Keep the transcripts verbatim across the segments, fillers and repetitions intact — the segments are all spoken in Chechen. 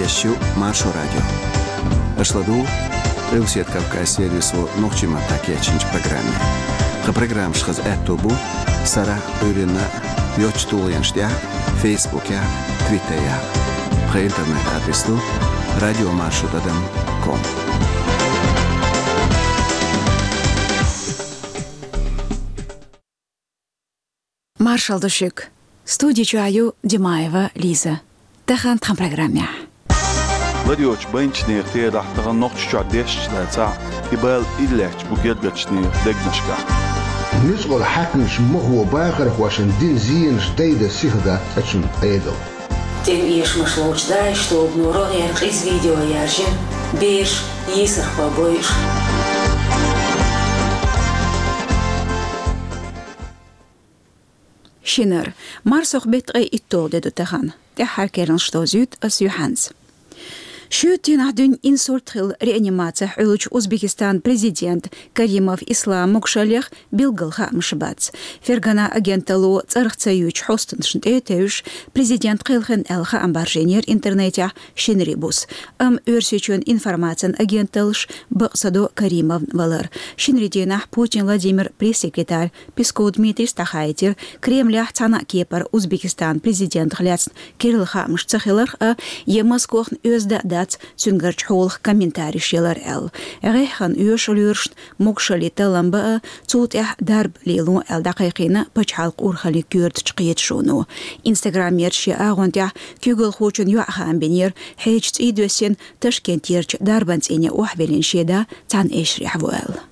Шо Маршо радио. Аша ладугӀу Къилбаседа Кавказан сервисо нохчийн маттахь кечйинчу программе. Тхан программаш хаза аьтто бу сарахь а, Ӏуьйранна а йоцчу тулгӀенаш тӀехь а, Фейсбукехь а, Твиттерехь а. Тхан интернет-адрес ду радио маршо тӀадам ком. Маршалла ду шуьга. Студи чохь ю Димаева Лиза. Тахана тхан программехь. Лар йоцчу байначу нехан терахь тахана Нохчийчохь дешнаш дацахь а, и бала ира лаьтташ бу гергарчу нехан дегнашкахь. Нуьцкъала хьаькамаша махо бахархошна дина зенаш дайдан сиха дац цкъачунна Ӏедал. ТӀеман эшамаш ловчу ДАИШ тобано рогӀера къиза видео яьржина, бераш йийсархой бойуш. Шинара. Марсохь беттан ткъе итталгӀа де ду тахана. ТӀаьххьара керланаш довзуьйту ас юьхьанца. Шоьтан дийнахь дуьйна инсульт хилла реанимацехь Ӏуьллучу Узбекистанан президентан Каримов Исламан могушаллех билггал хаамаш бац. Фергана агенталло цӀарах ца юьйцучу хьостанашна тӀе а тевжаш, президент кхелхина аьлла хаам баржийнера интернетехь шинарин буса. Амма Оьрсийчоьнан информацин агенталлаша бакъ ца до Каримовн валар. Шинарин дийнахь Путин Владимиран пресс-секретарь Песков Дмитрийс дӀахаийтира Кремлехь цхьана а кепара Узбекистанан президентах лаьцна керла хаамаш ца хиларх а, я Москвахна оьзда а дац цуьнгарчу хьолах комментареш ялар аьлла. ГӀеххьана оьшу лоьрашна могушаллин таллам бан а, цул тӀаьхьа дарба лело аьлла дӀакхайкхийна пачхьалкхан урхаллин коьртачу кхеташоно. Инстаграмера шен агӀон тӀехь куьйгалхочун йоӀ хаам бинера, хьежа цӀий доьссина, Ташкентерчу дарбан цӀийне охьавиллина шен да цхьана эшарехь ву аьлла.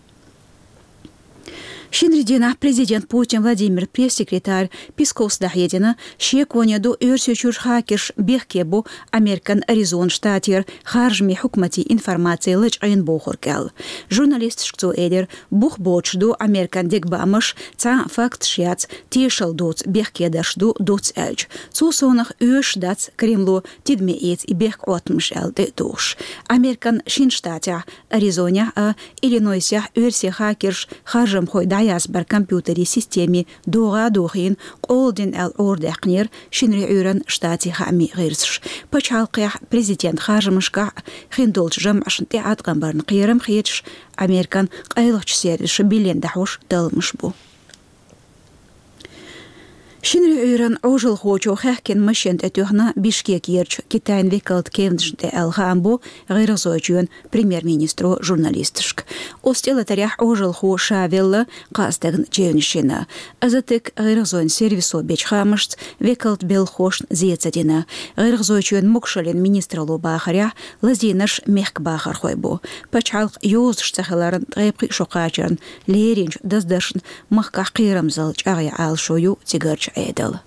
Шинарин дийнахь президент Путин Владимиран пресс-секретарь Песковс дӀахьедина, шеконе ду Оьрсийчуьра хакерш бехке бу Американ Аризона штатера харжамийн хьукматийн информаци лачкъийна бохург аьлла. Журналисташка цо элира, бух боцуш ду Американ дегабаамаш, цхьа а факташ яц, тешалла доцу бехкедарш ду, дуц аьлча. Цул совнаха оьшуш дац Кремло тидаме эца и бехк-Ӏоттамаш аьлла тӀе а тухуш. Американ шина штатехь, Аризонехь а, Иллинойсехь оьрсийн хакерш харжамхой дӀаязбар компьютерийн системийн догӀа а дохийна, къола дина аьлла Ӏорадаьккхинера шинарин Ӏуьйранна штатийн хаамийн гӀирсаша. Пачхьалкхехь президентан харжамашкахь а хиндолчу жамӀашна тӀе Ӏаткъам барна кхерам хеташ, Американ къайлахчу сервисаша биллина дӀахьош талламаш бу. Шинарин Ӏуьйранна Ӏожалхочо хаьхкина машен тӀе туьхна Бишкекерчу Китайн векалан кевнашна тӀе аьлла хаам бо ГӀиргӀазойчоьнан премьер-министро журналисташка. Оцу тӀелатарехь Ӏожалхо ша велла, кхаа стагана чевнаш йина. Азатек ГӀиргӀазойн сервисо бечу хаамашца, векалан белхахошна зен ца дина. ГӀиргӀазойчоьнан могушаллин министралло бахарехь, лазийнарш мехкан бахархой бу. Пачхьалкхан йозанаш ца хиларна ткъе пхи шо кхачарна леринчу даздаршна махкахь кхерамзалла чӀагӀъян Ӏалашо ю цигарчу Ӏедалан.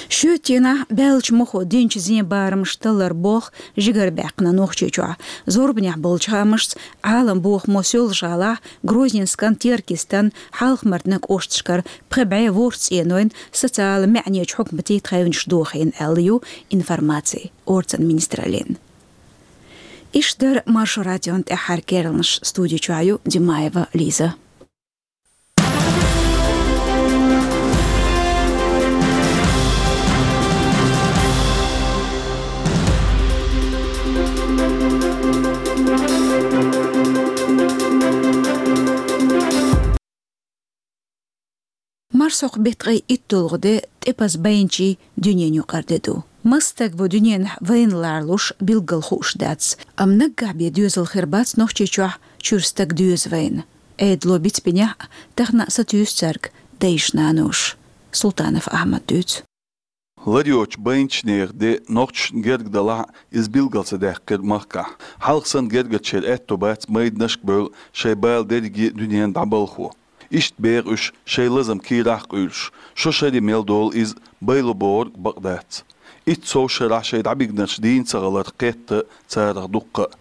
Шоьтан дийнахь баьллачу махо динчу зен барамаш таллар болх жигара баьккхина Нохчийчохь. Зорбанехь болчу хаамашца, Ӏалам бохамо Соьлжа-ГӀалахь, Грозненскан, Теркйистан, Хьалха-Мартанан кӀошташкара пхи бӀе ворхӀ цӀенойн социалан маьӀнечу хьукматийн тхевнаш дохийна аьлла ю информаци орцан министраллин. Иштта дара Маршо радион тӀаьххьара керланаш, студи чохь ю Димаева Лиза. Марсхьокху беттан ткъе итталгӀа де тӀепаза байначийн дуьненан юкъара де ду. Маса стаг ву дуьненахь вайна ларалуш билггал хууш дац, амма наггахь бен доьзал хир бац Нохчийчохь чуьра стаг доьза вайна. Ӏедало бицбинехь а, тахана а сатуьйсу цаьрга дайша-наноша. Султанов Ахьмада дуьйцу. Лар йоцчу байначу нехан де нохчашна герга далахь а, иза билггал ца даьккхира махкахь. Хьалха санна гергарчеран аьтто бац майданашка бевлла шайн бала дерриге а дуьненна дӀабалхо. Иштта беха уьш шайн лазам кийрахь а къуьйлуш, шо шаре мел долу иза, байла бохург бакъ дац. Итт сов шарахь шайн дӀабигнарш дийна ца хиларх кхетта царах дуккха а.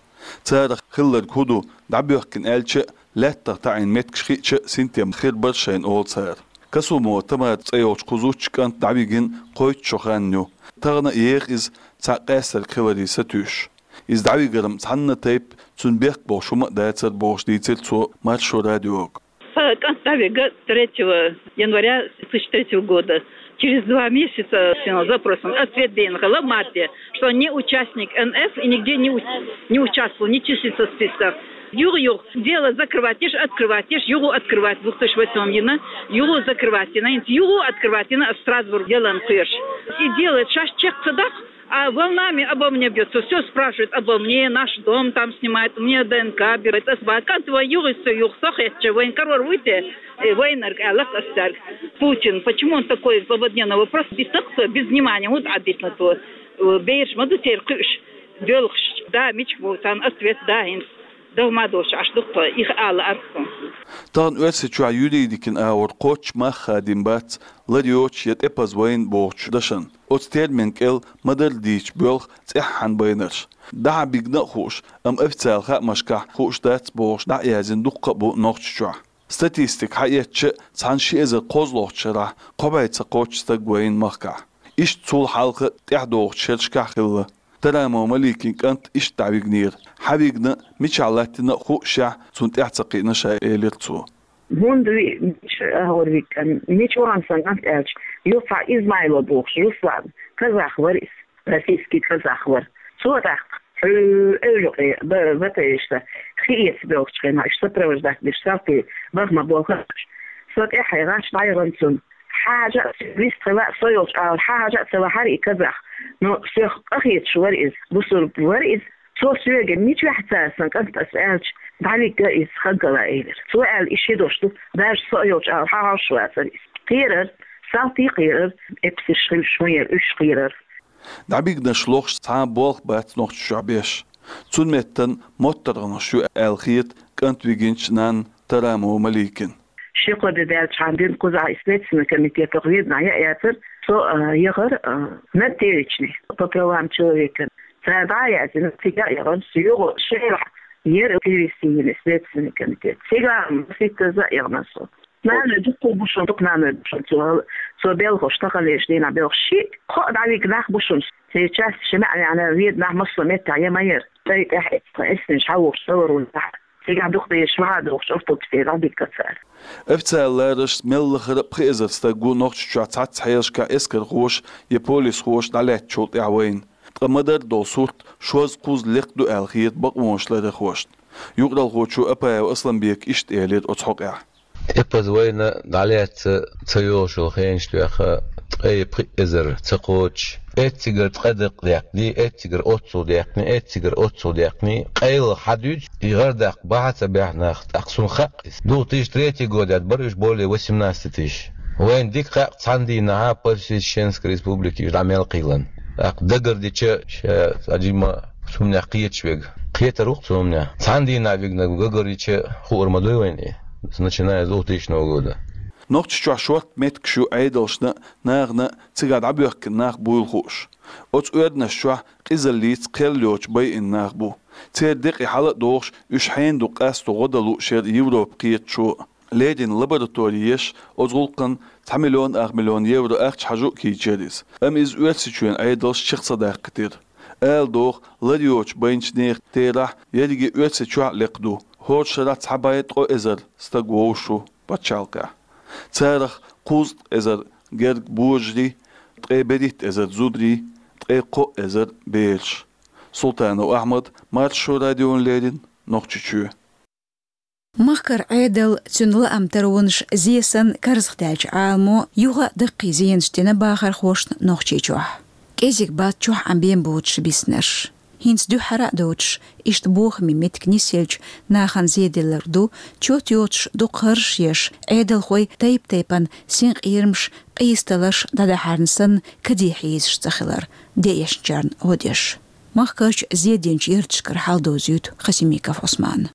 Царах хилларг хӀун ду, дӀабоьхкина аьлча а, лаьттах таӀийна меттигаш хиъча а, синтем хир бара шайна, олу цара. Касумова Тамара цӀе йолчу кху зудчун кӀант дӀавигина кхойтта шо хан ю. Тахана а еха иза, цхьаъ къаьстарг хиларе сатуьйсуш. Иза дӀавигар-м цхьанна а тайпа, цуьнан бехк бохуш хӀума а дацара, бохуш дийцира цо Маршо радиога. Сан кӀант дӀавига третьего января тысяча третьего года. Через два месяца с запросом ответ ден хала марте, что он не участник Н Ф и нигде не, у- не участвовал, не числится в списках. Юг-юг, дело закрывать, ешь открывать, ешь югу открывать, двух тысяч восьмом йина, югу закрывать, йина, югу открывать, йина, в Страсбург дело куешь. И делает шаш чек цадах, а волнами обо мне бьется, все спрашивают обо мне, наш дом там снимает, у меня Д Н К берет, асбакан твой юг, все юг, сохет, че военкорор выйти, военнарг, алак астарг. Путин, почему он такой злободневный вопрос? Битакса, без внимания, вот обидно то. Бейрш, маду теркуш, бёлхш, да, мич, вот он ответ, да, инс. Догмадош, аш духто, их ала аркун. Тахана Оьрсийчохь юридикин агӀор кхоччуш мах хадийна бац лар йоцуш я тӀепаза вайна бохучу дашан. Оцу термин кӀел ма-дарра дийцича боьлху цӀеххьана байнарш. ДӀахьа бигна а хууш, амма официалан хаамашкахь хууш дац бохуш дӀа а яздина дуккха а бу Нохчийчохь. Статистика хьаэцча, цхьана ши эзар кхозлагӀчу шарахь кхо бӀе ца кхоччуш стаг вайна махкахь. Иштта цул хьалха тӀаьхьадогӀучу шерашкахь хилла. Тарамова Маликин кӀант иштта дӀавигнера. Хьан вигна, мичахь латтийна а хуушехь, цунна тӀаьхьа ца кхиъна ша, элира цо. ХӀунда ви, мича агӀор вигна, мича вахана сан кӀант аьлча, юха Измайло бохуш Руслан, казах вара иза, российский казах вара. Цо тӀаккха хьуьу эвжукъе ба-, батайшта, хи эца бохучу хенахь, уьш сопровождать деш, салти бахма болхараш. Со тӀаьхьа гӀаш дӀайгӀан цунна. Хьажа а вист хила а со йолчу агӀор, хьажа а ца вахьара и казах. Но соьх къахеташ вара иза, бусург вара иза. Цо соьга мичахь цара сан кӀант ас аьлча, дӀавигга иза ханкала элира. Цо аьлла, и ши дош ду, даже со а йолчу агӀор хьагӀаш вацара иза. Кхерар, салти кхерар, эпсаш хилаш хӀун яра, уьш кхерар. ДӀабигнаш лохуш цхьа а болх бац Нохчийчохь беш. Цунна меттан моттаргӀанаш ю аьлла хета кӀант вигинчу нанна Тарамова Маликин. Ши-кхо де даьлчхьана дина кхузахь и Следственный комитетах ведна яа яцара, со, а, яхара, а, над перечне по правам человека. Цара дӀа а яздина, цига а яхана, со юха шайрахь яра перевести йина Следственный комитет. Цига а маситтаза а яхана со. Нана дуккха бу шуна, дукха нана бу шуна, цо, цо белхаш, таханлерчу дийнахь белхаш. Ши-кхо а дӀавигна нах бу шуна. Сейчас ши маьӀна яьхьна веда нах массо а меттехь я ма яра. ТӀай тӀаьхьа эцна, эснаш хьан вухуш, ца вара вуна тӀаьхьа. Цигахь дукха дезаш ма хьа духуш, автобус тӀе дӀабигга цара. Официалан лараршца мел лахара а пхи эзар стаг ву Нохчийчохь цхьацца хьелашкахь эскархоша я полисхоша дӀалаьцначул тӀаьхьа вайна. Ткъа ма-дарра долу сурт шозза-кхузза лекха ду аьлла хета бакъонаш ларъярхошна. Юкъаралхочо Апаев Асланбека иштта элира оцу хьокъехь. ТӀепаза вайна дӀалаьцна ца йолуш йолу хенаш тоьхна ткъе пхи эзар ца кхочуш, эццигара ткъа дакъа даьккхина, эццигара оццул даьккхина, эццигара оццул даьккхина, къайлаха хьан дуьйцу, и гӀар даккха бахьа ца баьхьа нах, тӀаккха суна хаьа иза. Две тысячи третий год яц, бара уьш более восемнадцати тысяч. Вайна дика хаьа, цхьана дийнахьа Подсвященская республика уьш дӀа мел кхийлина. ТӀаккха дагарча ша цхьа жимма цу хӀуманех кхеташ верг. Кхетар ву-кх цу хӀуманех. Цхьана дийнахь вигнарг дагарча хуур ма дуй вайна и, начиная с двухтысячного года. Нохчийчохь шортта меттигаш ю Ӏедалшна а, нахана а, цигахь дӀабоьхкина нах буйла хууш. Оцу оьрданаш чохь къизаллица кхел йоцуш байина нах бу. Церан декъий хьала а дохуш, уьш хьенан ду къасто гӀо дан лууш яра Европан кхеташо а. Леррина лаборатори еш, оцу гӀуллакхна цхьа миллион ах миллион евро ахча хьажа а кийчира иза. Амма иза Оьрсийчоьнан Ӏедалша чекх ца даккхийтира. Ала догӀу, лар йоцуш байначу нехан терахь ерриге Оьрсийчохь а лекха ду. ХӀора шарахь цхьа бӀе ткъо эзар стаг вовшаш ву пачхьалкхехь. Царах кхузткъа эзар герга божарий, ткъе берхӀитта эзар зударий, ткъе кхо эзар бераш. Султанов Ахьмад, Маршо радиона леррина, Нохчийчоь. Махкара Ӏедал, цуьнан лаам таронаш, зе санна карзахдаьллачу Ӏаламо юха а даккхий зенаш дина бахархошна Нохчийчохь. КӀезиг бац чохь Ӏан бен боцуш биснарш. ХӀинца дуьххьара а доцуш, иштта бохаме меттиг нисъелча, нахана зе делларг ду, чот йоцуш дукха хӀорш еш, Ӏедалхой тайп-тайпана синкъерамаш, къийсадаларш дӀадахьарна санна, каде хьийзаш ца хилар, де эшначарна гӀо деш. Махкарчу зе динчу ярташкара хьал довзуьйту Хасимиков Ӏусмана.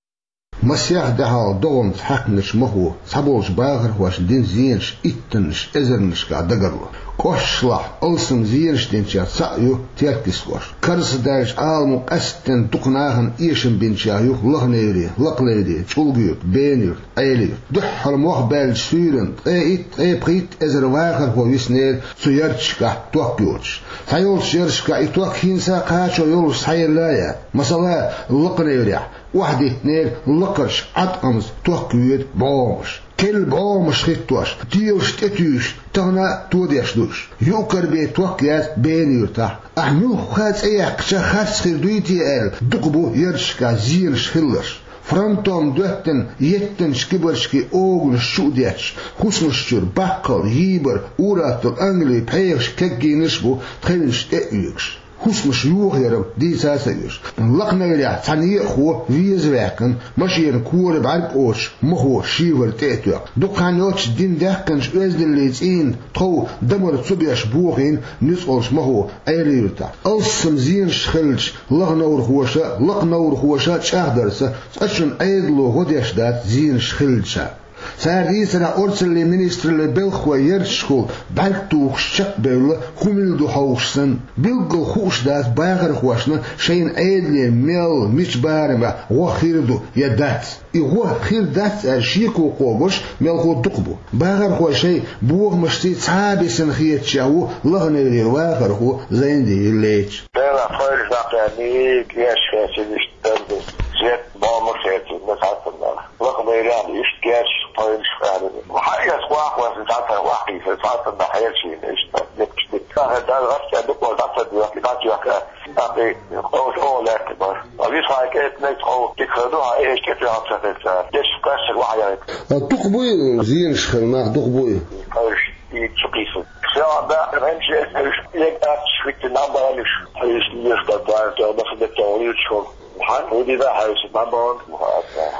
Масех де хьалха догӀмаца хьаькхначу махо цхьаболчу бахархошна дина зенаш иттаннаш, эзарнашкахь дагарло. КӀошташлахь алсам зенаш динчех цхьаъ ю Теркйист кӀошт. Карзахдаьллачу Ӏаламо къаьсттина дукха нахана эшам бинчех ю Лаха-Неври, Лакха-Неври, ЧӀулга-Юрт, Бена-Юрт, Ӏела-Юрт. Дуьххьара мох баьллачу суьйранна ткъе итт, ткъе пхийтта эзар вахархо виснера цу ярташкахь ток йоцуш. Цхьайолчу ярташкахь и ток хӀинца а кхачо йолуш схьаелла а яц. Масала, Лакха-Неврехь Охьадиттинера лакхарчу Ӏаткъамца ток воьду бӀогӀамаш. Керла бӀогӀамаш хӀиттош, телаш тӀетуьйсуш, тахана а тодеш ду уьш. Юкъ-кара бен ток яц Бена-Юьртахь. Ахь муьлхха цӀе яьккхича харц хир дуй те аьлла, дукха бу ярташкахь зенаш хилларш. Фронтом доьттина, еттанчу кибарчкийн оганаш чу а детташ, хӀусамаш чуьра баккхал, йийбар, ур-атталла, ангали, пхьегӀаш, кегийнаш а бу тхевнаш тӀе а оьгуш. ХӀусамаш йохаяр-м дийца а ца оьшу. Лакханайрехь цхьа некъахо веза ваьккхина, машенан кора бӀаьрг кхочуш, махо шифер тӀе а тоьхна. Дукха хан йоццуш дина даьккхинчу оьздаллин цӀийнан тхов дамар ца беш бохийна нуьцкъалчу махо Ӏела-Юьртахь. Алссам зенаш хиллачу лаханайрхоша, лакханайрхоша чӀагӀдарца, цкъачунна Ӏедало гӀо деш дац зенаш хиллачарна. Цара дийцарехь, орцаллин министраллин белхахой ярташкахула бӀаьрг тухуш чекхбевлла, хӀун мила ду хьовсуш санна. Билггал хууш дац бахархошна шайна Ӏедале мел, мича барамехь гӀо хир ду я дац. И гӀо хир дац аьлла шеко кхобуш мелхо дукха бу. Бахархой шайн бохамашций цхьа а бисина хеташ ву лаханайрера вахархо Зайндиев Леча. Делахь тхоьлуш даккха мега еш хецинаш. Тенге зет бомуш эцина схьастаннах. Лакха майрехь иштта герзаш тхойнаш къаьрина. Хьан эс вахвас цхьацца вахийса схьастаннах хьерчийна иштта. Деккаш дикка. Сахар дан гӀаття дукъо дӀа ца доьхки, дӀа ца йохка. ТӀаккха кховш оха лаьтта бар. А висхьа кӀетнай тхов дика хир ду, хьан эш кӀетваьхьа ца хилча. Деш кхаьссиг вахьа яхийта. А дукха буй зенаш хир нах, дукха буй? Кхойш и чу кхийсу. Села баьхна хӀинча эс уьш лег аьтташ хӀиттина набалуш. Хьайс леш дан дан тӀе баса де тӀе вуьйцуш хӀума. Хьан хӀу дина хьайса набалан?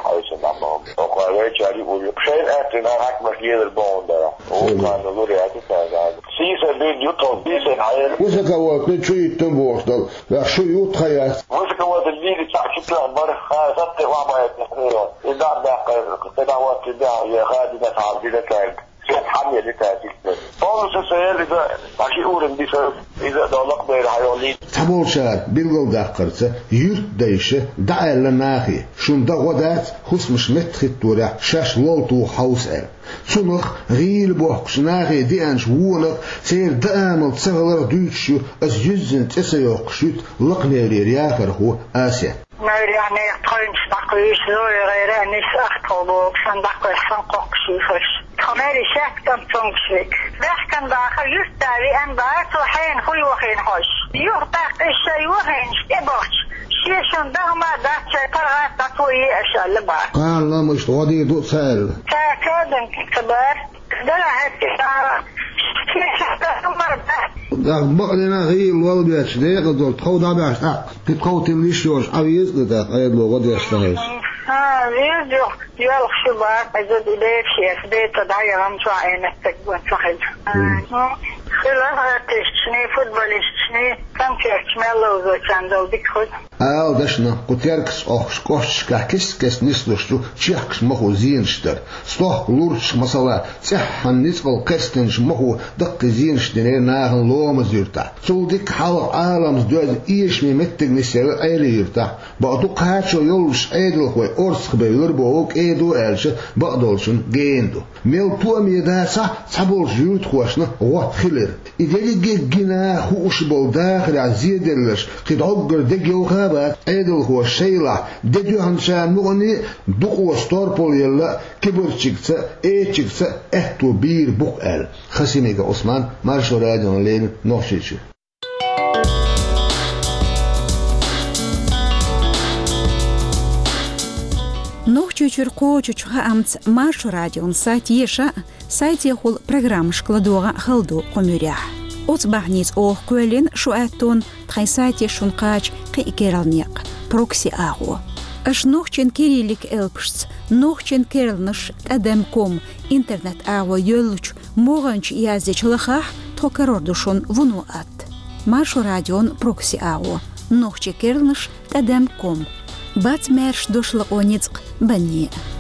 Хьайса набалан. Оха вайчари ули. Шайн аьттина хьакмаш лелар богӀун дара. Оха лур яти тайган. Сийса бен ютхал, сийса хьайр. Высоковольтный чу йиттан бохуш дал. Вах шу ю тха яц. Высоковольтный лили цхьа чу тла бар. Ха сатте ва байт. И да да ка да ва ти да я ха дина та дина тайг. Сет хьан яли тӀаьхьа. Полностью ца яли иза, аши уран диса, иза долакъ дайра хьайолин. Цхьаболчара билгалдаккхарца, юьртдайша дӀааьлла нахе, шуна дан гӀо дац, хӀусамаш меттахӀитторехь шаьш лолтух хьовса аьлла. Цунах гӀийла бохкучу нахе деанчу вонах, церан даамал ца хиларх дуьйцуш ю аса юьззина цӀе ца йоккхуш юьртан лакханерера яхархо Асет. Майрехь нехан тхойнаш дӀакхуьйсу, зоя гӀайра а нисса ахтахула боху, сан дӀакхоьссина кхоккхуш йисалш. Тхо майри шаьтта кӀант цуьнгаш вега. Баьхкан даха, юьртда веана баха, цо хьенан хӀу йохийна хьожуш. Юха тӀаккха иза шайн йохийнаш тӀебахча, шен шун даха ма дац, шайн паргӀат дӀа цо е аша аьлла баха. Кхана ламашта гӀо дийр ду ца аьлла. Ца кадам ца бар. Дала хӀетте сара. Шен шун даха ма дац. Даха бакъдина гӀийла лол бечу декъазалла тхов дӀабаьхьаш тӀаккха. Кхин тхов тилла йиш йолуш Ӏан веза а тӀаккха, Ӏедало гӀо деш ца хилча. Ха, веза ю, йоьлхуш ю бакъ, иза ди дешеш, беца дӀаяхана чохь Ӏенат стаг ван ца хилча. Хила гӀаттишчний, футболистчний, концертчу мел ловзочарна дала дика хуьлу. Ала дашна, кху теркаца Ӏохкуш кӀошташкахь кест-кеста нислуш ю чехкаш махо зенаш дар. Стохка лурчаш, масала, цӀеххьана ницкъала кхерстинчу махо даккхий зенаш динера нахана Ломаз-Юьртахь. Цул дика хьалха Ӏаламца доьзна эшаме меттиг нисъелла Ӏела-Юьртахь. Бакъду, кхачо йоллуш Ӏедалхой орцахбевлар боху, кӀеда аьлча, бакъдолчун гена ду. Мел тоаме дацахь, цхьаболчу юьртахошна гӀо хилира. И дерриге а гина хууш болу дахарехь зеделларш кхин дӀоггара дегайовха а бац, Ӏедалхоша шайлахь де доьхначарна мукъане а дукъо сторпал елла, кибарчигца а, эчигца а аьтто бийр бу-кх аьлла. Хасимиков Ӏусман, Маршо радиона леррина, Нохчийчуьра. Нохчийчуьра кхочучу хаамца Маршо радион сайт еша а, сайтехула программашка ладогӀа а хала ду кху муьрехь. Оцу бахьаница оха кхоьллина шу аьттонна тхайн сайте шуна кхача кхин а керла некъ, прокси агӀо. Аша нохчийн кириллик элпашца нохчийн керланаш тӀадам ком интернет-агӀо йоьллучу могӀанчу яздечу лахахь тхо карор ду шуна вуно атта. Маршо радион прокси агӀо, нохчийн керланаш тӀадам ком. Бац маьрша дош лакъо ницкъ банне а.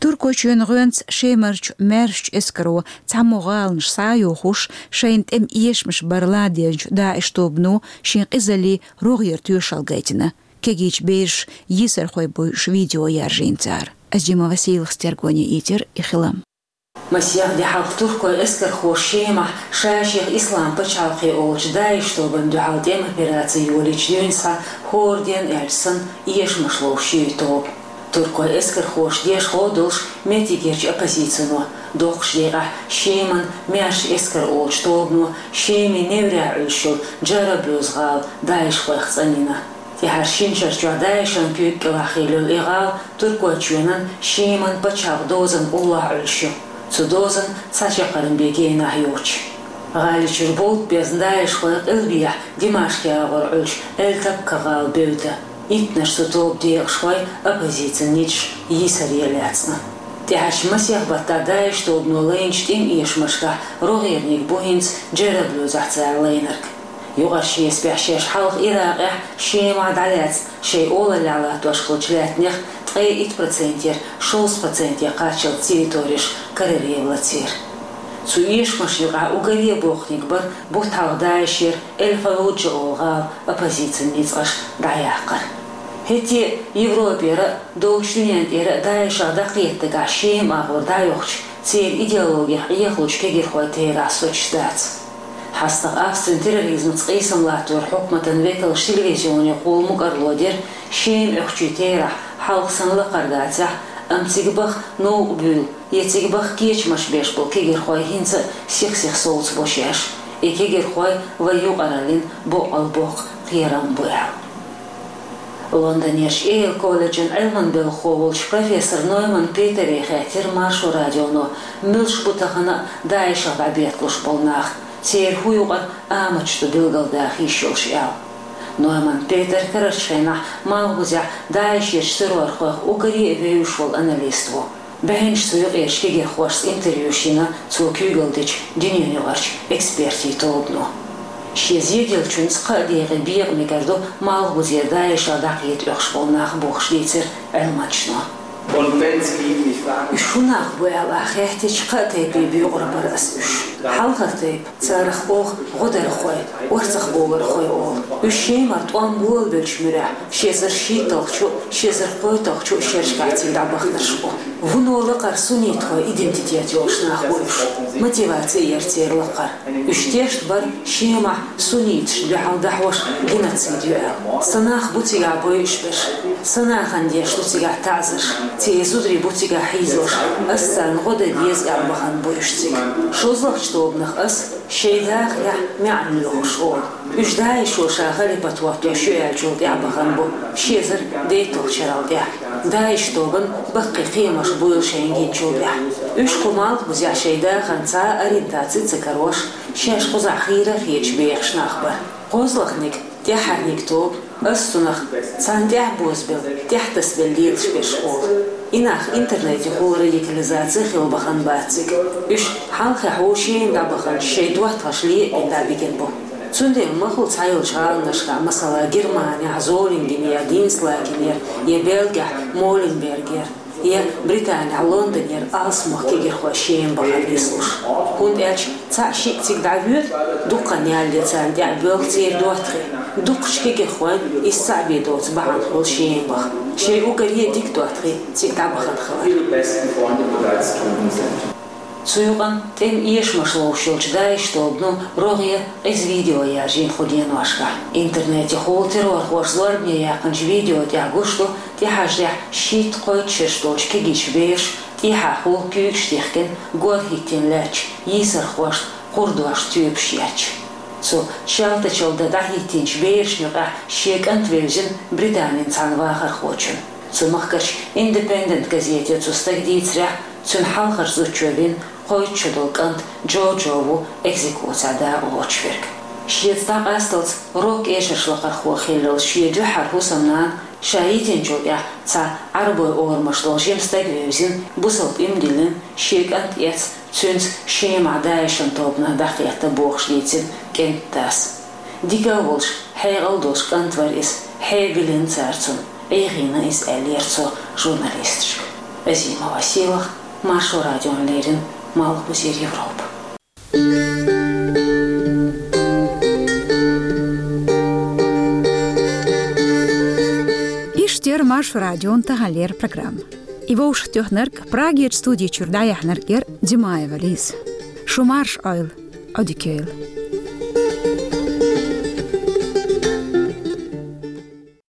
Туркойчоьнан гӀоьнца Шемарчу маьршачу эскаро цхьаммо гӀаланаш схьа а йохуш, шайна тӀеман эшамаш бара ладегӀначу ДаӀиш тобано шен къизаллин рогӀера тоьшалла гайтина. Кегийчу бераша йийсархой буьйлуш видео яржийна цара. Азима Василас тергоне ийцира и хилам. Масех де хьалха туркойн эскархоша Шемахь ша-шех Ислам пачхьалкхе олучу ДАИШ тобанна дуьхьал тӀеман операци йолийча дуьйна схьа хӀора денна аьлча санна эшамаш ловш ю и тоба. Туркойн эскархоша дешхо а долуш меттигерчу оппозицино, доккхачу декъехь Шеман маьрша эскар олучу тобано Шеман неврехь Ӏуьллуш йолу Джараблюз гӀала даишхойх цӀанйина. ТӀаьхьара шина шарчохь ДАИШан куьйга кӀелахь хилла йолу и гӀала Туркойчоьнан Шеман пачхьалкхан дозанна уллохь Ӏуьллуш ю, цу дозанна цхьа чаккхарма бен генахь йоцуш. ГӀали чуьра бовда безна даишхой къилбехьа Димашкъ агӀор Ӏуьллуш Эль-Табка гӀала бевдда. Иттаннаш цу тоба декъашхой оппозицин ницкъаш йийсаре лаьцна. ТӀаьхьарчу масех баттахь ДАИШ тобано лайначу тӀеман эшамашкахь рогӀерниг бу хӀинца Джараблюзехь цара лайнарг. Юкъара шесапехь шаьш хьалха Иракъехь, Шемахь дӀалаьцна шайн олаллехь латтош хиллачу лаьттанех ткъе итт процентера шовзткъа проценте кхаччалц территореш караре лацийра. Цу эшамашна юкъахь уггаре а боккханиг бара бутт хьалха ДАИШера Эль-Фаллуджа олу гӀала оппозицин ницкъаш дӀаяккхар. ХӀетте а Европера а, долчу дуьненна тӀера а ДАИШах дӀакхетта дагахь Шема агӀор дӀайохчу, церан идеологех Ӏехалучу кегирхойн терахь соцуш дац. ХьастагӀа Австрин терроризмца къийсам латторан хьукматан векалша телевизионехула мукӀарло дира, Шема Ӏохчийн терахь хьалха санна лакхара дацахь, амма цига баха новкъа буьйлу я цига баха кечамаш беш болу кегирхой хӀинца а сих-сиха совцабо шаьш, и кегирхой вайн юкъараллин боккъал боккха кхерам бу аьлла. Лондонерчу Йейл колледжан Ӏилман белхахо волчу профессор Нойман Петере хаьттира Маршо радионо, муьлш бу тахана а ДАИШах дӀабетталуш болу нах, церан хӀун юкъара аматаш ду билгалдаха йиш йолуш аьлла. Нойман Петер карарчу хенахь Малхбузехь ДАИШерчу террорхойх уггаре а вевзаш волу аналист ву. БӀаьнаш цу юкъерчу кегирхошца интервьюш йина цо куьйгалла дечу дуьненаюкъарчу экспертийн тобано. Шен зеделлачуьнца кхаа декъе бекъа мегар ду Малхбузера ДАИШах дӀакхета оьхуш болу нах бохуш дийцира Ӏилманчано. Уьш хӀун нах бу аьлла ахь хаьттича, кхаа тайпе боькъур бара ас уьш. Хьалхара тайпа, царах оха гӀодархой, орцахбовлархой олу. Уьш Шемара тӀом болабеллачу муьрехь, ши эзар шийтталгӀачу, ши эзар кхойтталгӀачу шерашкахь цига дӀабаханарш бу. Вуно лакхара суннитхойн идентитет йолуш нах бу уьш. Мотиваци яра церан лакхара. Уьш тешна бара Шемахь сунниташна дуьхьал дӀахьош геноцид ю аьлла. Са нах бу цигахь бойуш берш. Са нахана деш ду цигахь таӀзарш. Церан зударий бу цигахь хьийзош. Ас царна гӀо дан деза аьлла бахана бу уьш цига. ШозлагӀчу тобанах ас шайн дахарехь маьӀна лоьхуш олу. Уьш ДАИШо ша халипат хӀоттош ю аьллачул тӀаьхьа бахана бу, ши эзар дейтталгӀачу шарал тӀаьхьа. ДАИШ тобанна баккхий кхиамаш буйла шайна гинчул тӀаьхьа. Уьш кху Малхбузехь шайн дахарна цхьа а ориентаци ца карош, шаьш кхузахь хийра а хеташ бехаш нах бара. КхозлагӀниг, тӀаьххьарниг тоба, ас цунах царна тӀаьхьа бозабелла, тӀаьхьатасабелла лелаш берш олу. И нах интернетехула радикализаци хилла бахана бац цига. Уьш хьалххе хьо Шема дӀабаханчу шайн доттагӀашна ле а бина дӀабигина бу. Цундела махлу цхьайолчу гӀаланашкахь, масала, Германехь Золингенера, Динслагенера, я Бельгехь Моленбергера, я Британехь Лондонера алсамох кегирхой Шема бахар нислуш. ХӀунда аьлча цхьаъ-шиъ цига дӀавоьду, дуккха а ялале царна тӀехь боьлху церан доттагӀий. Дукхачу кегирхойн иза цхьаъ бен доцу бахьана хуьлу Шема баха. Шайн уггаре а дика доттагӀий цига дӀабахана хилар. Цу юкъанна тӀеман эшамаш ловш йолчу ДАИШ тобано рогӀера къиза видео яржийна кху деношкахь. Интернетехула террорхоша зорбане яьккхинчу видео тӀехь гуш ду, тӀехьаждехь шийтта-кхойтта шераш долчу кегийчу бераша тӀехьахула куьйгаш тихкина, гор хӀиттийна лаьттачу йийсархошна кхурдошна тоьпаш етташ. Цу чалтачалла дан дӀахӀиттийначу берашна юкъахь шен кӀант вевзина Британин цхьана вахархочунна. Цу махкарчу Independent газете цу стага дийцарехь, цуьнан хьалхарчу зудчо вина кхойтта шо долу кӀант Джо-Джо ву экзекуцехь дакъалоцуш верг. Шеца дӀакъасталц рок-эшарш лакхархо хиллалц шен дуьххьара хӀусамнана, ша йитинчул тӀаьхьа цхьа Ӏарбойн орамаш долу жима стаг вевзина, бусалба иман диллина, шен кӀант эцна, цуьнца Шемахь ДАИШан тобанах дӀакхетта бохуш дийцина кӀентан дас. Дика а волуш, хьекъал а долуш кӀант вара иза, хье а биллина цара цунна, Ӏехийна иза, аьллера цо журналисташка. Азима Василах, Маршо радиона леррина, Малхбузера Европа. Иштта яра Маршо радион таханлера программа. И вовшахтоьхнарг, Прагерчу студи чуьра дӀаяьхьнарг яра Димаева Лиза. Шу марша Ӏойла, Ӏодика йойла.